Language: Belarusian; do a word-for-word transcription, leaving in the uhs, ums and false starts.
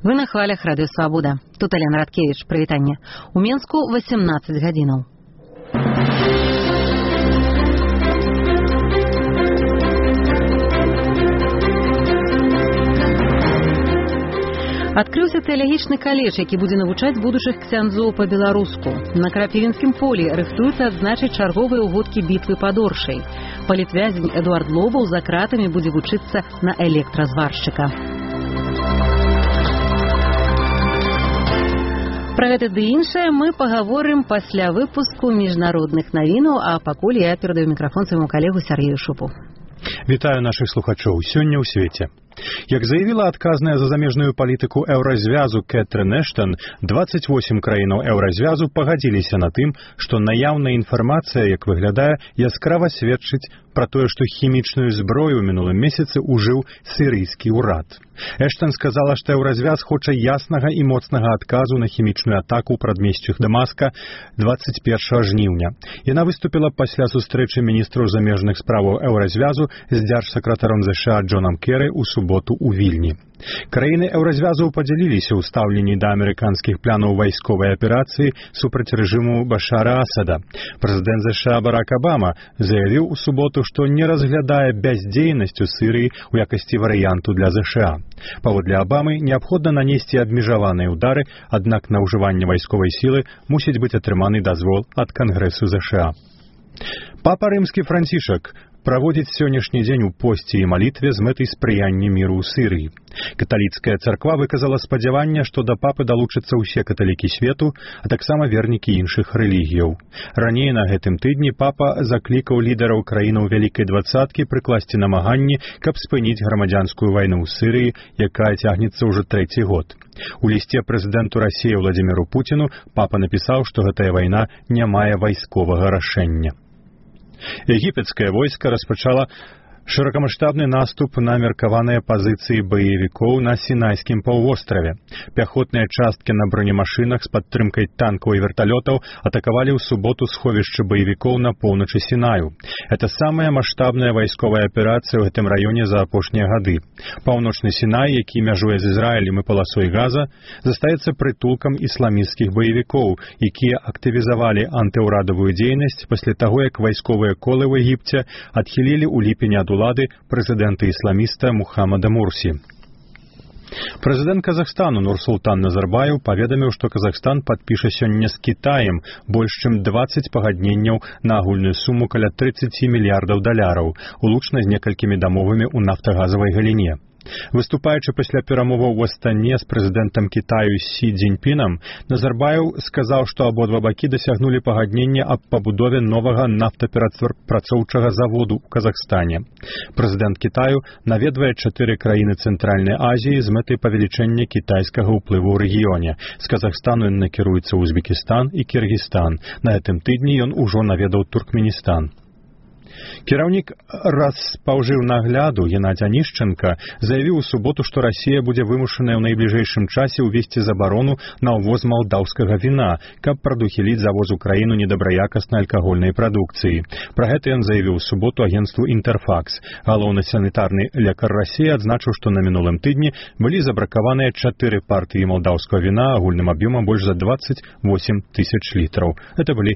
Вы на хвалях Радыё Свабода. Тут Алена Радкевич. Прывітанне. У Менску восемнадцать гадзінаў. Адкрыўся тэалагічны каледж, які будзе навучаць будучых ксяндзоў па-беларуску. На Крапівінскім полі рыхтуюцца адзначыць чарговыя ўгодкі бітвы пад Оршай. Палітвязень Эдуард Лобаў за кратамі будзе вучыцца на электразваршчыка. Пра гэта ды іншае мы пагаворым пасля выпуску міжнародных навінаў, а пакуль я перадаю мікрафон свайму калегу Сергею Шупу. Вітаю нашых слухачоў. Сёння ў свеце. Як заявіла адказная за замежную палітыку еўразвязу Кэтрын Эштон, двадцать восемь краінаў еўразвязу пагадзіліся на тым, што наяўная інфармацыя, як выглядае, яскрава сведчыць пра тое, што хімічную зброю ў мінулым месяцы ўжыў сірыйскі ўрад. Эштон сказала, што еўразвяз хоча яснага і моцнага адказу на хімічную атаку ў прадмесцях Дамаска двадцать першага жніўня. Яна выступіла пасля сустрэчы міністраў замежных справаў еўразвязу з дзяржсакратаром ЗША Джонам Керы ў суботу ў Вільні. Краіны еўразвязу падзяліліся ў стаўленні да амерыканскіх планаў вайсковай аперацыі супраць рэжыму Башара Асада. Прэзідэнт ЗША Барак Абама заявіў у суботу, што не разглядае бяздзейнасць у Сірыі ў якасці варыянту для ЗША. Паводле Абамы неабходна нанесці абмежаваныя ўдары, аднак на ўжыванне вайсковай сілы мусіць быць атрыманы дазвол ад Кангрэсу ЗША. Папа рымскі Францішак праводзіць сённяшні дзень у посце і малітве з мэтай спрыяння міру ў Сірыі. Каталіцкая царква выказала спадзяванне, што да папы далучацца ўсе каталікі свету, а таксама вернікі іншых рэлігіяў. Раней на гэтым тыдні папа заклікаў лідараў краінаў вялікай дваццаткі прыкласці намаганні, каб спыніць грамадзянскую вайну ў Сірыі, якая цягнецца ўжо трэці год. У лісце прэзідэнту Расіі Владзіміру Пуціну папа напісаў, што гэтая вайна не мае вайсковага рашэння. Егіпецкае войска распачала шырокамаштабны наступ на меркаваныя пазіцыі баевікоў на Сінайскім паўвостраве. Пяхотныя часткі на бронемашынах з падтрымкай танкаў і верталётаў атакавалі ў суботу сховішчы баевікоў на поўначы Сінаю. Это самая маштабная вайсковая аперацыя ў гэтым раёне за апошнія гады. Паўночны Сінай, які мяжуе з Ізраілем і паласой Газа, застаецца прытулкам ісламісцкіх баевікоў, якія актывізавалі антыўрадавую дзейнасць пасля таго, як вайсковыя колы ў Егіпце адхілілі ў ліпені ад улады прэзідэнта-ісламіста Мухаммада Мурсі. Прэзідэнт Казахстану Нурсултан Назарбаев паведаміў, што Казахстан падпіша сёння з Кітаем больш чым дваццаць пагадненняў на агульную суму каля тридцать мільярдаў даляраў, улучна з некалькімі дамовамі ў нафтагазавай галіне. Выступаючы пасля перамоваў у Астане з прэзідэнтам Кітаю Сі Цзіньпінам, Назарбаев сказаў, што абодва бакі дасягнулі пагаднення аб пабудове новага нафтаперапрацоўчага заводу ў Казахстане. Прэзідэнт Кітаю наведвае чатыры краіны Цэнтральнай Азіі з мэтай павелічэння кітайскага ўплыву ў рэгіёне. З Казахстану ён накіруецца ў Узбекістан і Кіргізстан. На гэтым тыдні ён ужо наведаў Туркменістан. Кіраўнік Распаўжыўнагляду Геннадзь Анішченка заявіў у суботу, што Расія будзе вымушаная ў найбліжэйшым часе ўвесці забарону на ўвоз малдаўскага віна, каб прадухіліць завоз у краіну недабраякаснай алкагольнай прадукцыі. Пра гэта ён заявіў у суботу агенцтву «Інтэрфакс». Галоўны санітарны лекар Расіі адзначыў, што на мінулым тыдні былі забракаваныя чатыры партыі малдаўскага віна агульным аб'ёмам больш за двадцать восемь тысяч літраў. Это былі